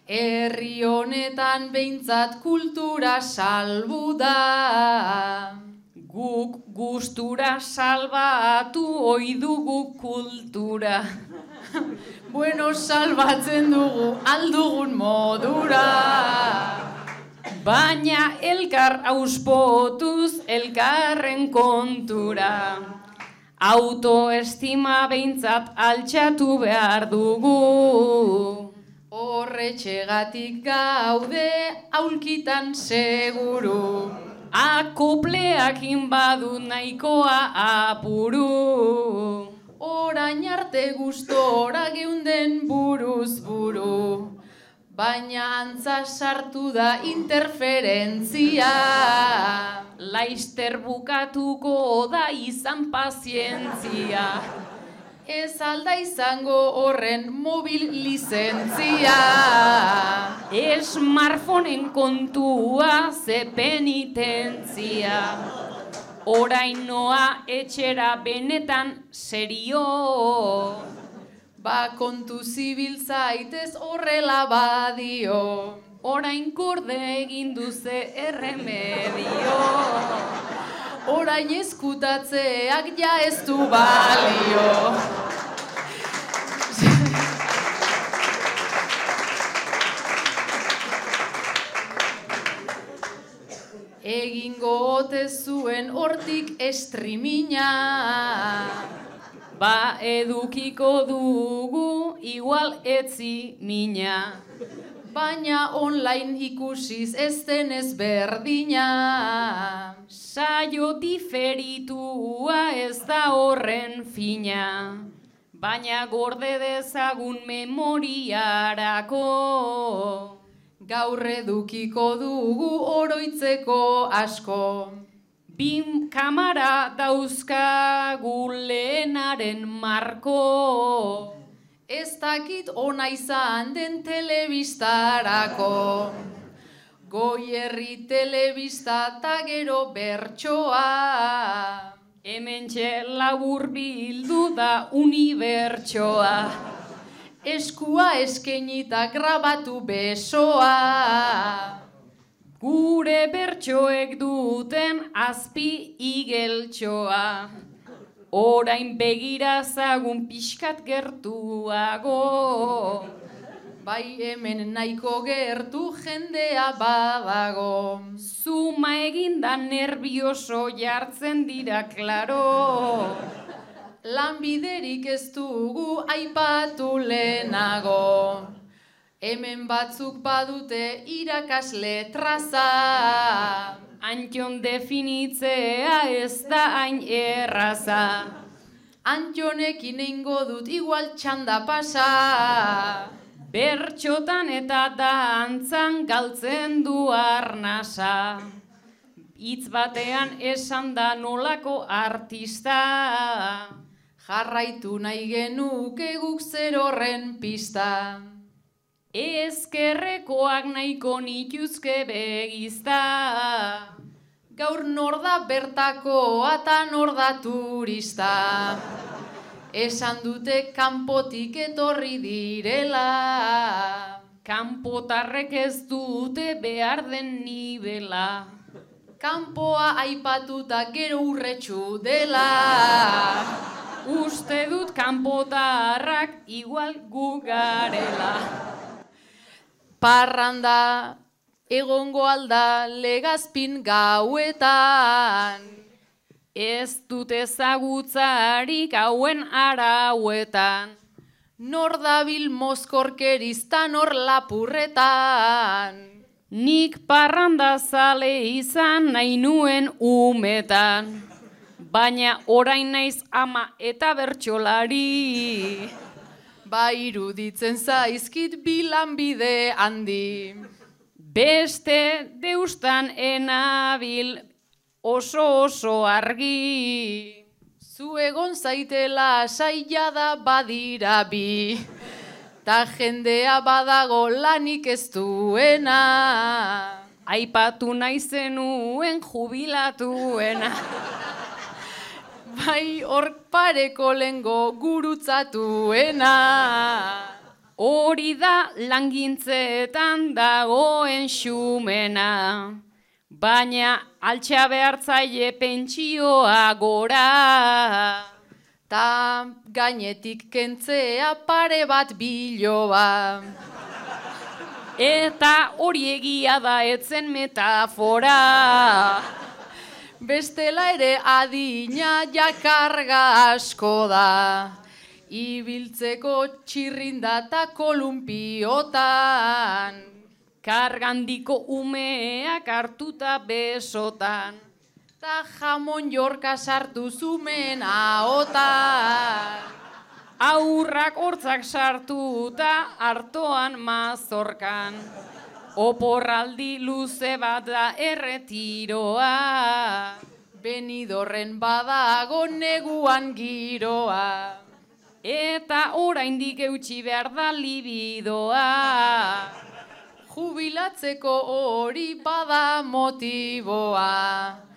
Herri honetan behintzat kultura salbu da. Guk gustura salbatu ohi dugu kultura. Bueno, salbatzen dugu aldugun modura. Baina elkar auspotuz elkarren kontura. Autoestima behintzat altxatu behar dugu. Horretxegatik gaude aulkitan seguru. Akopleakin badu nahikoa apuru. Orain arte gustora geunden buruz buru. Baina antza sartu da interferentzia. Laister bukatuko da izan pazientzia. Ez alda izango horren mobil lizentzia. Smartphoneen kontua ze penitentzia. Orain noa etxera benetan serio. Ba kontu zibil zaitez horrela badio. Orain gorde egin duze erremedio. Orain eskutatzeak ja ez du balio. Egingo ote zuen hortik estrimina. Ba edukiko dugu igual etzi mina. Baina online ikusiz ez denez berdina. Saio diferitua ez da horren fina. Baina gorde dezagun memoriarako. Gaur edukiko dugu oroitzeko asko. Bim kamara dauzkagu lehenaren marko. Ez dakit ona izan den telebistarako. Goierri telebista ta gero bertsoa. Hementxe labur bildu da unibertsoa. Eskua eskenita grabatu besoa. Gure bertsoek duten azpi igeltsoa. Orain begirazagun pixkat gertuago. Bai hemen nahiko gertu jendea badago. Zuma eginda nervioso jartzen dira klaro. Lanbiderik ez dugu aipatu lehenago. Hemen batzuk badute irakasle traza. Antxon definitzea ez da hain erraza. Antxonekin eingo dut igual txanda pasa. Bertxotan eta dantzan galtzen du arnasa. Hitz batean esan da nolako artista. Jarraitu nahi genuke guk zer horren pista. Ezkerrekoak nahiko nituzke begizta. Gaur nor da bertakoa eta nor da turista. Esan dute kanpotik etorri direla. Kanpotarrek ez dute behar den nibela. Kanpoa aipatuta gero urretxu dela. Uste dut kanpotarrak igual gu garela. Parranda egongo alda Legazpin gauetan. Ez dut ezagutzarik hauen arauetan. Nor dabil mozkorkeriz ta nor lapurretan. Nik parranda zale izan nahi nuen umetan. Baina orain naiz ama eta bertsolari. Ba iruditzen zaizkit bilanbide handi. Beste deustan enabil oso argi. Zu egon zaitela saia da badira bi. Ta jendea badago lanik ez duena. Aipatu nahi zenuen jubilatuena. Bai hor pareko lengo gurutzatuena. Hori da langintzeetan dagoen xumena, baina altxa behartzaile pentsioa gora. Ta gainetik kentzea pare bat biloba. Eta hori egia da etzen metafora. Bestela ere adina jakarga asko da. Ibiltzeko txirrinda eta kolumpiotan. Kargandiko umeak hartuta besotan. Ta jamon jorka sartu zumen ahotan. Aurrak hortzak sartuta hartoan mazorkan. Oporraldi luze bat da erretiroa. Benidorren badago neguan giroa. Eta oraindik eutsi behar da libidoa. Jubilatzeko hori bada motiboa.